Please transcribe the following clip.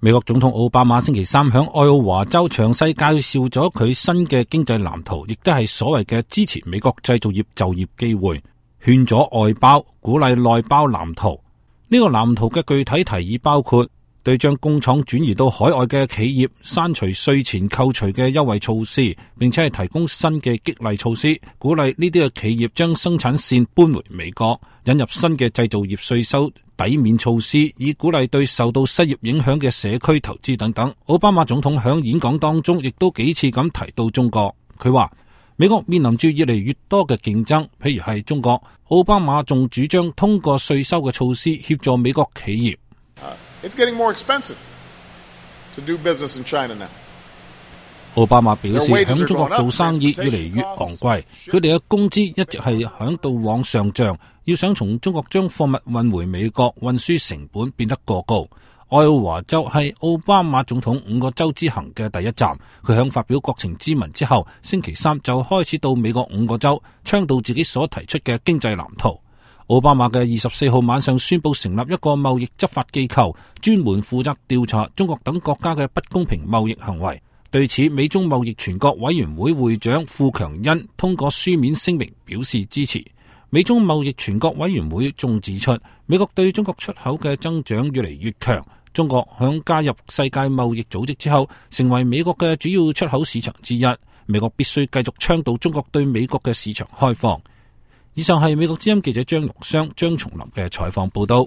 美國總統奧巴馬星期三響愛奧華州詳細介紹咗佢新嘅經濟藍圖，亦都係所謂嘅支持美國製造業就業機會，勸阻外包，鼓勵內包藍圖。呢個藍圖嘅具體提議包括對將工廠轉移到海外嘅企業刪除稅前扣除嘅優惠措施，並且係提供新嘅激勵措施，鼓勵呢啲嘅企業將生產線搬回美國，引入新嘅製造業稅收抵免措施，以鼓勵對受到失業影響嘅社區投資等等。奧巴馬總統響演講當中亦都幾次咁提到中國，佢話美國面臨住越嚟越多嘅競爭，譬如係中國。奧巴馬仲主張通過稅收嘅措施協助美國企業。It's getting more expensive to do business in China now. 奧巴馬表示，響中國做生意越嚟越昂貴，佢哋嘅工資一直係響度往上漲，要想從中國將貨物運回美國，運輸成本變得過高。愛奧華州係奧巴馬總統5個州之行嘅第一站，佢響發表國情咨文之後，星期三就開始到美國5個州，倡導自己所提出嘅經濟藍圖。奧巴馬嘅24號晚上宣布成立一個貿易執法機構，專門負責調查中國等國家嘅不公平貿易行為。對此，美中貿易全國委員會會長傅強恩通過書面聲明表示支持。美中貿易全國委員會仲指出，美國對中國出口嘅增長越嚟越強，中國響加入世界貿易組織之後，成為美國嘅主要出口市場之一。美國必須繼續倡導中國對美國嘅市場開放。以上係美國之音記者張玉雙、張松林嘅採訪報道。